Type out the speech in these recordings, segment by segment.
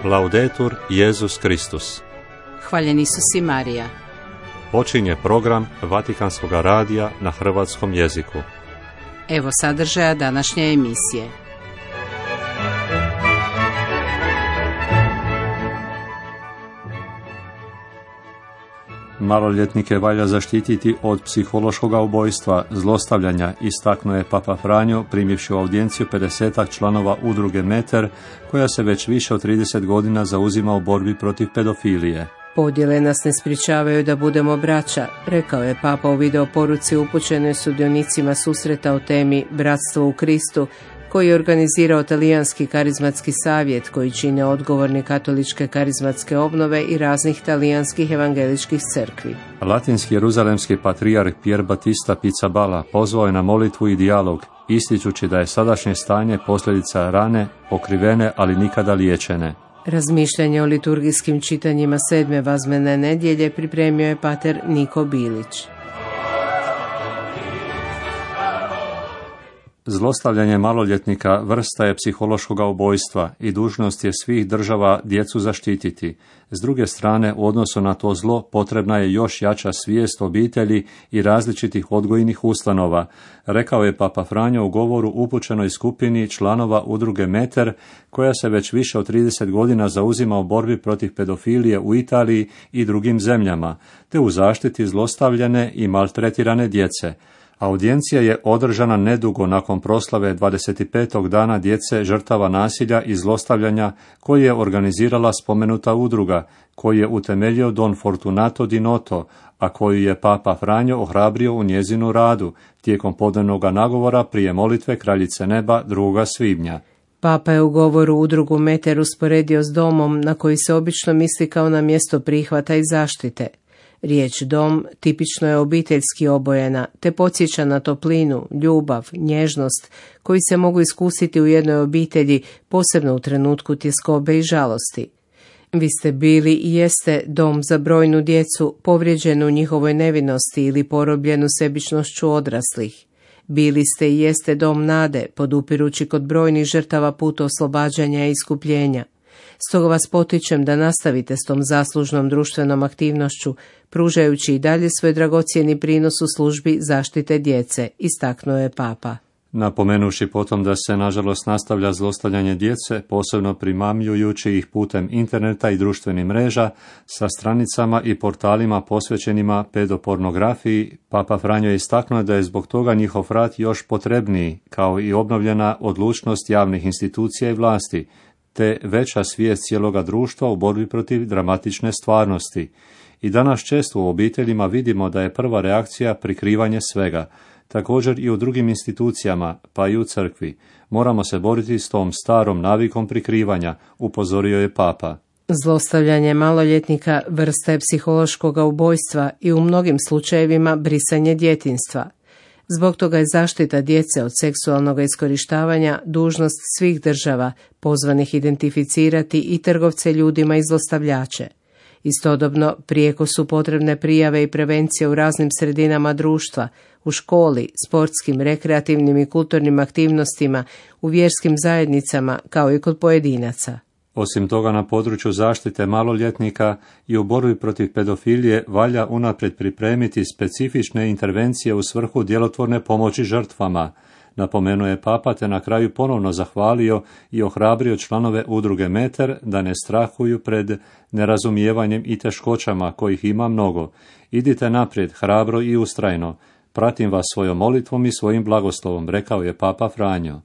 Laudetur Jesus Kristus. Hvaljen Isus i Marija. Počinje program Vatikanskog radija na hrvatskom jeziku. Evo sadržaja današnje emisije. Maloljetnike valja zaštititi od psihološkog ubojstva, zlostavljanja, istaknuo je Papa Franjo primivši u audijenciju 50 članova udruge Meter, koja se već više od 30 godina zauzima u borbi protiv pedofilije. Podjele nas ne sprječavaju da budemo braća, rekao je Papa u videoporuci upućenoj sudionicima susreta o temi Bratstvo u Kristu, koji je organizirao Talijanski karizmatski savjet, koji čine odgovorni katoličke karizmatske obnove i raznih talijanskih evangeličkih crkvi. Latinski jeruzalemski patrijarh Pier Battista Pizzaballa pozvao je na molitvu i dijalog, ističući da je sadašnje stanje posljedica rane, pokrivene, ali nikada liječene. Razmišljanje o liturgijskim čitanjima 7. vazmene nedjelje pripremio je pater Niko Bilić. Zlostavljanje maloljetnika vrsta je psihološkog ubojstva i dužnost je svih država djecu zaštititi. S druge strane, u odnosu na to zlo potrebna je još jača svijest obitelji i različitih odgojnih ustanova, rekao je Papa Franjo u govoru upućenoj skupini članova udruge Meter, koja se već više od 30 godina zauzima u borbi protiv pedofilije u Italiji i drugim zemljama, te u zaštiti zlostavljane i maltretirane djece. Audijencija je održana nedugo nakon proslave 25. dana djece žrtava nasilja i zlostavljanja koji je organizirala spomenuta udruga, koji je utemeljio Don Fortunato Di Noto, a koju je Papa Franjo ohrabrio u njezinu radu tijekom podnevnog nagovora prije molitve Kraljice neba 2. svibnja. Papa je u govoru udrugu Meter usporedio s domom na koji se obično misli kao na mjesto prihvata i zaštite. Riječ dom tipično je obiteljski obojena, te podsjeća na toplinu, ljubav, nježnost, koji se mogu iskusiti u jednoj obitelji, posebno u trenutku tjeskobe i žalosti. Vi ste bili i jeste dom za brojnu djecu, povrijeđenu u njihovoj nevinosti ili porobljenu sebičnošću odraslih. Bili ste i jeste dom nade, podupirući kod brojnih žrtava put oslobađanja i iskupljenja. Stoga vas potičem da nastavite s tom zaslužnom društvenom aktivnošću, pružajući i dalje svoj dragocjeni prinos u službi zaštite djece, istaknuo je Papa. Napomenuši potom da se nažalost nastavlja zlostavljanje djece, posebno primamljujući ih putem interneta i društvenih mreža, sa stranicama i portalima posvećenima pedopornografiji, Papa Franjo je istaknuo da je zbog toga njihov rad još potrebniji, kao i obnovljena odlučnost javnih institucija i vlasti, te veća svijest cijeloga društva u borbi protiv dramatične stvarnosti. I danas često u obiteljima vidimo da je prva reakcija prikrivanje svega. Također i u drugim institucijama, pa i u crkvi. Moramo se boriti s tom starom navikom prikrivanja, upozorio je Papa. Zlostavljanje maloljetnika vrsta je psihološkog ubojstva i u mnogim slučajevima brisanje djetinjstva. Zbog toga je zaštita djece od seksualnog iskorištavanja dužnost svih država, pozvanih identificirati i trgovce ljudima i zlostavljače. Istodobno, prijeko su potrebne prijave i prevencije u raznim sredinama društva, u školi, sportskim, rekreativnim i kulturnim aktivnostima, u vjerskim zajednicama, kao i kod pojedinaca. Osim toga, na području zaštite maloljetnika i u borbi protiv pedofilije valja unaprijed pripremiti specifične intervencije u svrhu djelotvorne pomoći žrtvama, napomenuo je Papa, te na kraju ponovno zahvalio i ohrabrio članove udruge Meter da ne strahuju pred nerazumijevanjem i teškoćama, kojih ima mnogo. Idite naprijed, hrabro i ustrajno. Pratim vas svojom molitvom i svojim blagoslovom, rekao je Papa Franjo.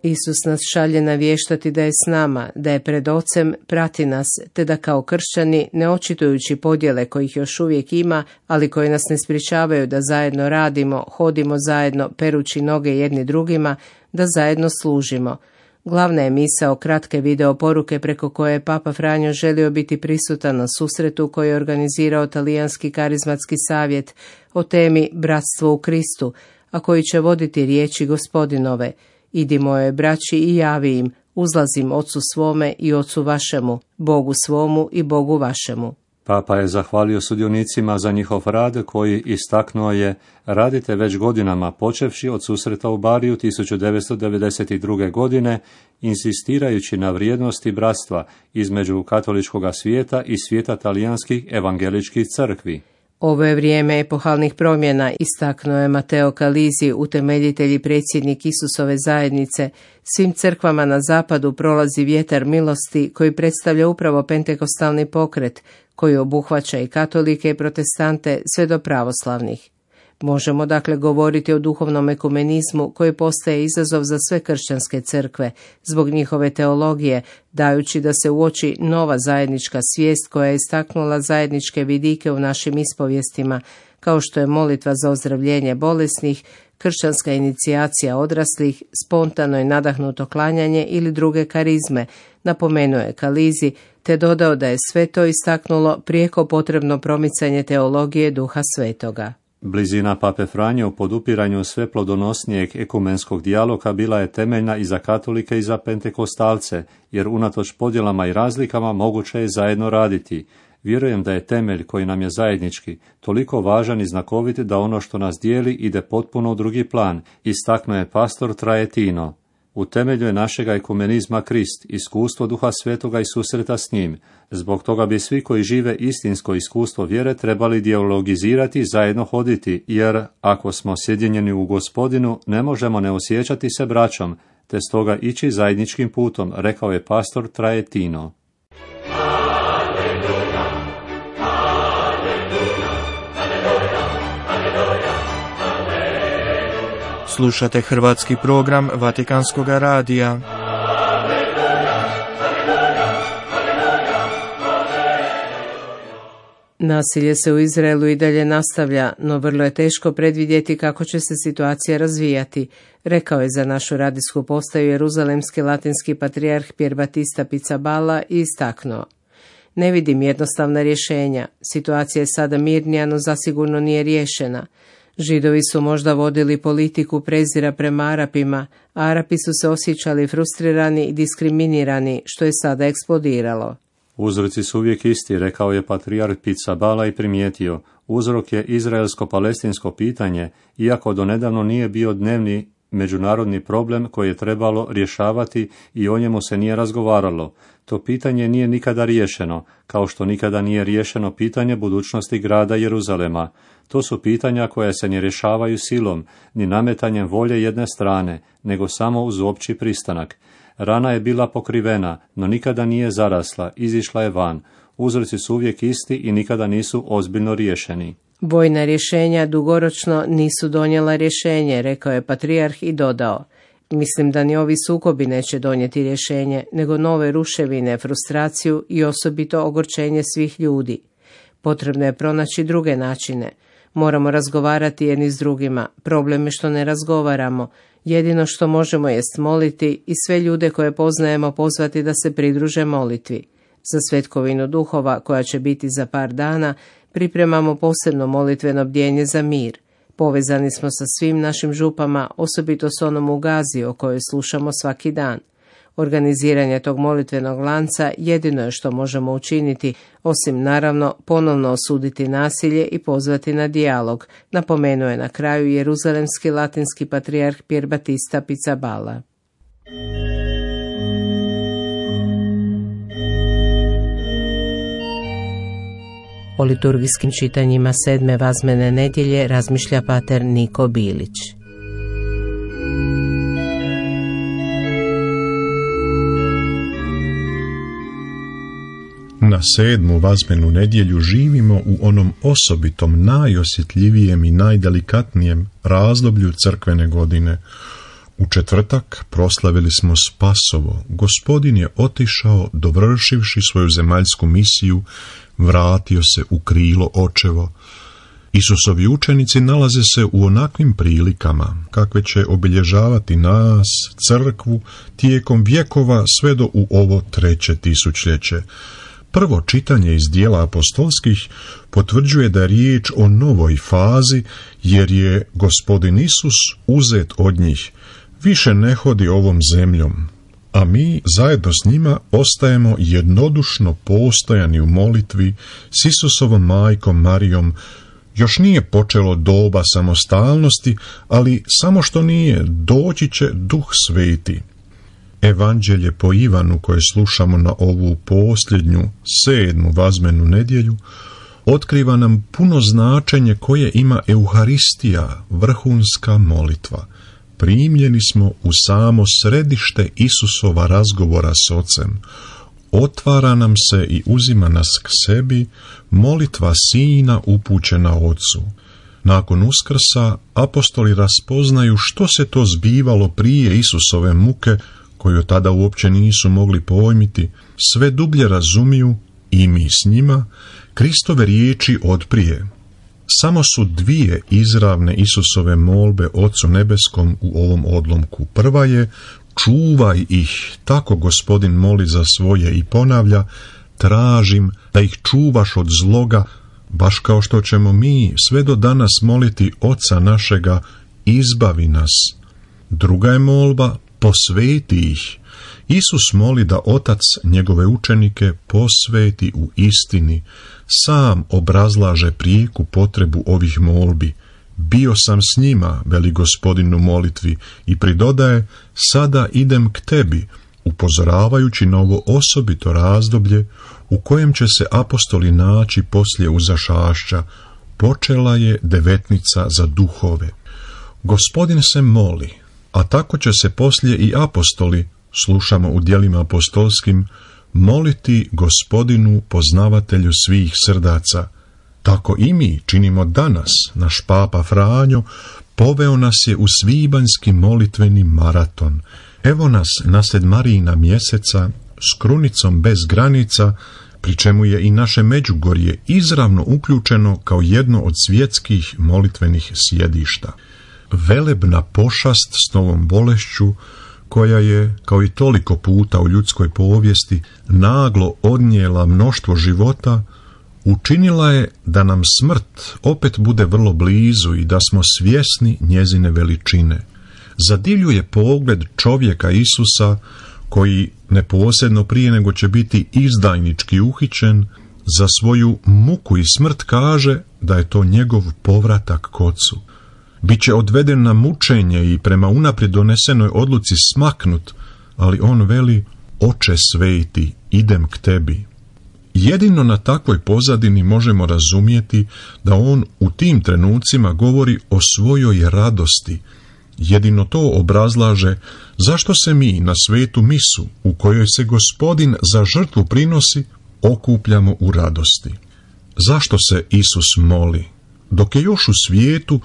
Isus nas šalje navještati da je s nama, da je pred Ocem, prati nas, te da kao kršćani, ne očitujući podjele kojih još uvijek ima, ali koje nas ne sprječavaju da zajedno radimo, hodimo zajedno, perući noge jedni drugima, da zajedno služimo. Glavna je misao kratke video poruke preko koje je Papa Franjo želio biti prisutan na susretu koji je organizirao Talijanski karizmatski savjet o temi Bratstvo u Kristu, a koji će voditi riječi Gospodinove: idi moje braći i javi im, uzlazim Ocu svome i Ocu vašemu, Bogu svomu i Bogu vašemu. Papa je zahvalio sudionicima za njihov rad koji, istaknuo je, radite već godinama, počevši od susreta u Bariju 1992. godine, insistirajući na vrijednosti bratstva između katoličkog svijeta i svijeta talijanskih evangeličkih crkvi. Ovo je vrijeme epohalnih promjena, istaknuo je Matteo Calizi, utemeljitelj i predsjednik Isusove zajednice. Svim crkvama na zapadu prolazi vjetar milosti koji predstavlja upravo pentekostalni pokret, koji obuhvaća i katolike i protestante sve do pravoslavnih. Možemo dakle govoriti o duhovnom ekumenizmu koji postaje izazov za sve kršćanske crkve zbog njihove teologije, dajući da se uoči nova zajednička svijest koja je istaknula zajedničke vidike u našim ispovijestima, kao što je molitva za ozdravljenje bolesnih, kršćanska inicijacija odraslih, spontano i nadahnuto klanjanje ili druge karizme, napomenuo je Calizi, te dodao da je sve to istaknulo prijeko potrebno promicanje teologije Duha Svetoga. Blizina Pape Franje u podupiranju sve plodonosnijeg ekumenskog dijaloga bila je temeljna i za katolike i za pentekostalce, jer unatoč podjelama i razlikama moguće je zajedno raditi. Vjerujem da je temelj koji nam je zajednički toliko važan i znakovit da ono što nas dijeli ide potpuno u drugi plan, istaknuo je pastor Trajetino. U temelju je našega ekumenizma Krist, iskustvo Duha Svetoga i susreta s njim. Zbog toga bi svi koji žive istinsko iskustvo vjere trebali dijalogizirati i zajedno hoditi, jer ako smo sjedinjeni u Gospodinu, ne možemo ne osjećati se braćom, te stoga ići zajedničkim putom, rekao je pastor Trajetino. Slušate hrvatski program Vatikanskog radija. Nasilje se u Izraelu i dalje nastavlja, no vrlo je teško predvidjeti kako će se situacija razvijati, rekao je za našu radijsku postaju jeruzalemski latinski patrijarh Pier Battista Pizzaballa i istaknuo: ne vidim jednostavna rješenja, situacija je sada mirnija, no zasigurno nije riješena. Židovi su možda vodili politiku prezira prema Arapima, a Arapi su se osjećali frustrirani i diskriminirani, što je sada eksplodiralo. Uzroci su uvijek isti, rekao je patrijarh Pizzaballa i primijetio. Uzrok je izraelsko-palestinsko pitanje, iako donedavno nije bio dnevni međunarodni problem koji je trebalo rješavati i o njemu se nije razgovaralo. To pitanje nije nikada riješeno, kao što nikada nije riješeno pitanje budućnosti grada Jeruzalema. To su pitanja koja se ne rješavaju silom, ni nametanjem volje jedne strane, nego samo uz opći pristanak. Rana je bila pokrivena, no nikada nije zarasla, izišla je van. Uzroci su uvijek isti i nikada nisu ozbiljno riješeni. Vojna rješenja dugoročno nisu donijela rješenje, rekao je patrijarh i dodao: mislim da ni ovi sukobi neće donijeti rješenje, nego nove ruševine, frustraciju i osobito ogorčenje svih ljudi. Potrebno je pronaći druge načine. Moramo razgovarati jedni s drugima. Problem je što ne razgovaramo. Jedino što možemo jest moliti i sve ljude koje poznajemo pozvati da se pridruže molitvi. Za svetkovinu duhova, koja će biti za par dana, pripremamo posebno molitveno bdjenje za mir. Povezani smo sa svim našim župama, osobito s onom u Gazi o kojoj slušamo svaki dan. Organiziranje tog molitvenog lanca jedino je što možemo učiniti, osim naravno ponovno osuditi nasilje i pozvati na dijalog, napomenuo je na kraju jeruzalemski latinski patrijarh Pier Battista Pizzaballa. O liturgijskim čitanjima 7. vazmene nedjelje razmišlja pater Niko Bilić. Na 7. vazmenu nedjelju živimo u onom osobitom, najosjetljivijem i najdelikatnijem razdoblju crkvene godine. U četvrtak proslavili smo Spasovo. Gospodin je otišao, dovršivši svoju zemaljsku misiju, vratio se u krilo očevo. Isusovi učenici nalaze se u onakvim prilikama, kakve će obilježavati nas, crkvu, tijekom vjekova sve do u ovo 3. tisućljeće. Prvo čitanje iz dijela apostolskih potvrđuje da je riječ o novoj fazi, jer je Gospodin Isus uzet od njih. Više ne hodi ovom zemljom. a mi zajedno s njima ostajemo jednodušno postojani u molitvi s Isusovom majkom Marijom. Još nije počelo doba samostalnosti, ali samo što nije, doći će Duh Sveti. Evanđelje po Ivanu koje slušamo na ovu posljednju, 7. vazmenu nedjelju, otkriva nam puno značenje koje ima Euharistija, vrhunska molitva. Primljeni smo u samo središte Isusova razgovora s Ocem. Otvara nam se i uzima nas k sebi molitva Sina upućena Ocu. Nakon Uskrsa apostoli raspoznaju što se to zbivalo prije Isusove muke, koju tada uopće nisu mogli pojmiti, sve dublje razumiju, i mi s njima, Kristove riječi otprije. Samo su 2 izravne Isusove molbe Ocu nebeskom u ovom odlomku. Prva je: čuvaj ih, tako Gospodin moli za svoje i ponavlja: tražim da ih čuvaš od zloga, baš kao što ćemo mi sve do danas moliti Oca našega, izbavi nas. Druga je molba: posveti ih. Isus moli da Otac njegove učenike posveti u istini. Sam obrazlaže prijeku potrebu ovih molbi. Bio sam s njima, veli Gospodin u molitvi, i pridodaje: sada idem k tebi, upozoravajući na ovo osobito razdoblje u kojem će se apostoli naći poslije uzašašća. Počela je devetnica za duhove. Gospodin se moli, a tako će se poslije i apostoli, slušamo u djelima apostolskim, moliti Gospodinu poznavatelju svih srdaca. Tako i mi činimo danas. Naš papa Franjo poveo nas je u svibanjski molitveni maraton. Evo nas nasred Marijina mjeseca s krunicom bez granica, pri čemu je i naše Međugorje izravno uključeno kao jedno od svjetskih molitvenih sjedišta. Velebna pošast s novom bolešću, koja je, kao i toliko puta u ljudskoj povijesti, naglo odnijela mnoštvo života, učinila je da nam smrt opet bude vrlo blizu i da smo svjesni njezine veličine. Zadivljuje pogled čovjeka Isusa, koji neposredno prije nego će biti izdajnički uhićen, za svoju muku i smrt kaže da je to njegov povratak k Ocu. Biće odveden na mučenje i prema unaprijed donesenoj odluci smaknut, ali on veli: Oče sveti, idem k tebi. Jedino na takvoj pozadini možemo razumjeti da on u tim trenucima govori o svojoj radosti. Jedino to obrazlaže zašto se mi na svetu misu, u kojoj se Gospodin za žrtvu prinosi, okupljamo u radosti. Zašto se Isus moli? Dok je još u svijetu,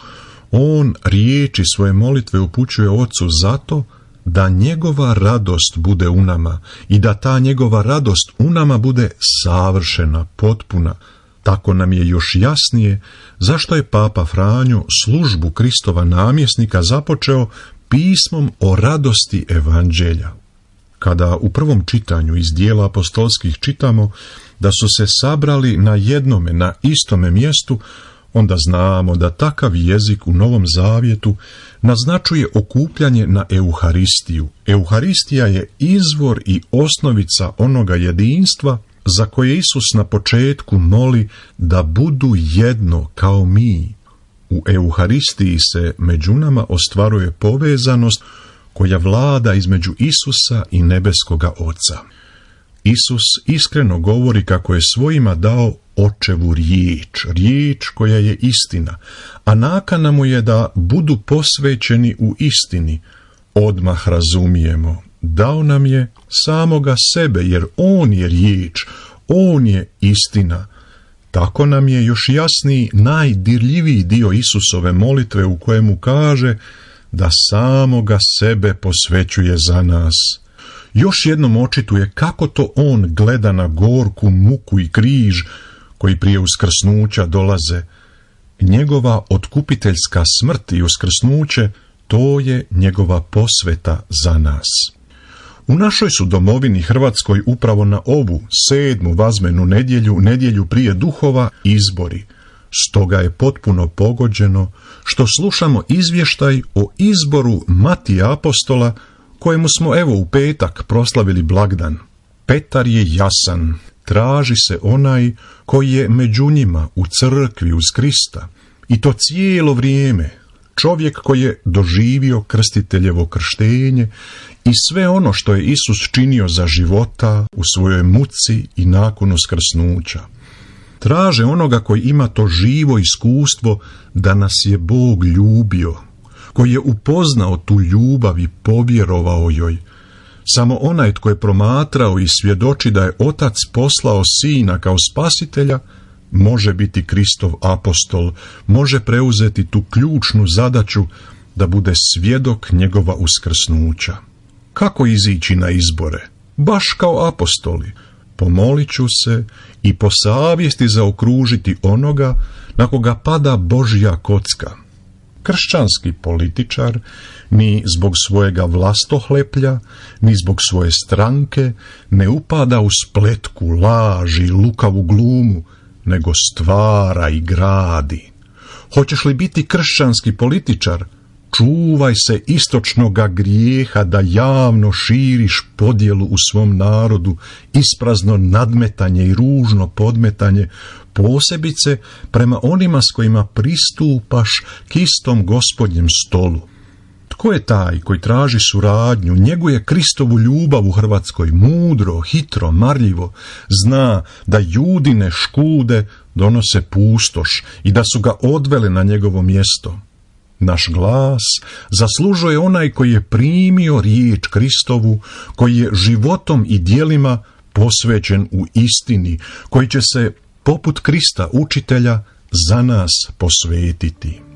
on riječi svoje molitve upućuje Ocu zato da njegova radost bude u nama i da ta njegova radost u nama bude savršena, potpuna. Tako nam je još jasnije zašto je Papa Franjo službu Kristova namjesnika započeo pismom o radosti Evanđelja. Kada u prvom čitanju iz dijela apostolskih čitamo da su se sabrali na jednome, na istome mjestu, onda znamo da takav jezik u Novom Zavjetu naznačuje okupljanje na Euharistiju. Euharistija je izvor i osnovica onoga jedinstva za koje Isus na početku moli da budu jedno kao mi. U Euharistiji se među nama ostvaruje povezanost koja vlada između Isusa i nebeskoga Oca. Isus iskreno govori kako je svojima dao Očevu riječ koja je istina, a nakana mu je da budu posvećeni u istini. Odmah razumijemo, dao nam je samoga sebe, jer on je riječ, on je istina. Tako nam je još jasniji najdirljiviji dio Isusove molitve u kojemu kaže da samoga sebe posvećuje za nas. Još jednom očituje kako to on gleda na gorku muku i križ koji prije uskrsnuća dolaze. Njegova otkupiteljska smrt i uskrsnuće, to je njegova posveta za nas. U našoj su domovini Hrvatskoj upravo na ovu 7. vazmenu nedjelju prije duhova, izbori. Stoga je potpuno pogođeno što slušamo izvještaj o izboru Matija apostola kojemu smo evo u petak proslavili blagdan. Petar je jasan, traži se onaj koji je među njima u crkvi uz Krista, i to cijelo vrijeme, čovjek koji je doživio krstiteljevo krštenje i sve ono što je Isus činio za života u svojoj muci i nakon uskrsnuća. Traže onoga koji ima to živo iskustvo da nas je Bog ljubio, koji je upoznao tu ljubav i povjerovao joj. Samo onaj tko je promatrao i svjedoči da je Otac poslao Sina kao spasitelja, može biti Kristov apostol, može preuzeti tu ključnu zadaću da bude svjedok njegova uskrsnuća. Kako izići na izbore? Baš kao apostoli. Pomolit ću se i po savjesti zaokružiti onoga na koga pada Božja kocka. Kršćanski političar ni zbog svojega vlastohleplja, ni zbog svoje stranke ne upada u spletku, laž i lukavu glumu, nego stvara i gradi. Hoćeš li biti kršćanski političar? Čuvaj se istočnoga grijeha da javno širiš podjelu u svom narodu, isprazno nadmetanje i ružno podmetanje, posebice prema onima s kojima pristupaš k istom Gospodnjem stolu. Tko je taj koji traži suradnju, njeguje Kristovu ljubav u Hrvatskoj mudro, hitro, marljivo, zna da Judine škude donose pustoš i da su ga odvele na njegovo mjesto. Naš glas zaslužuje onaj koji je primio riječ Kristovu, koji je životom i djelima posvećen u istini, koji će se, poput Krista učitelja, za nas posvetiti.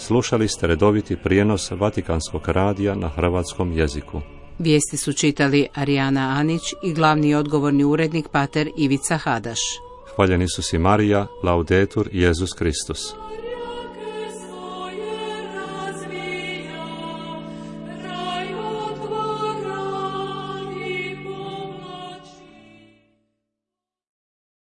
Slušali ste redoviti prijenos Vatikanskog radija na hrvatskom jeziku. Vijesti su čitali Arijana Anić i glavni odgovorni urednik pater Ivica Hadaš. Hvaljeni su si Marija, Laudetur, Jezus Kristus.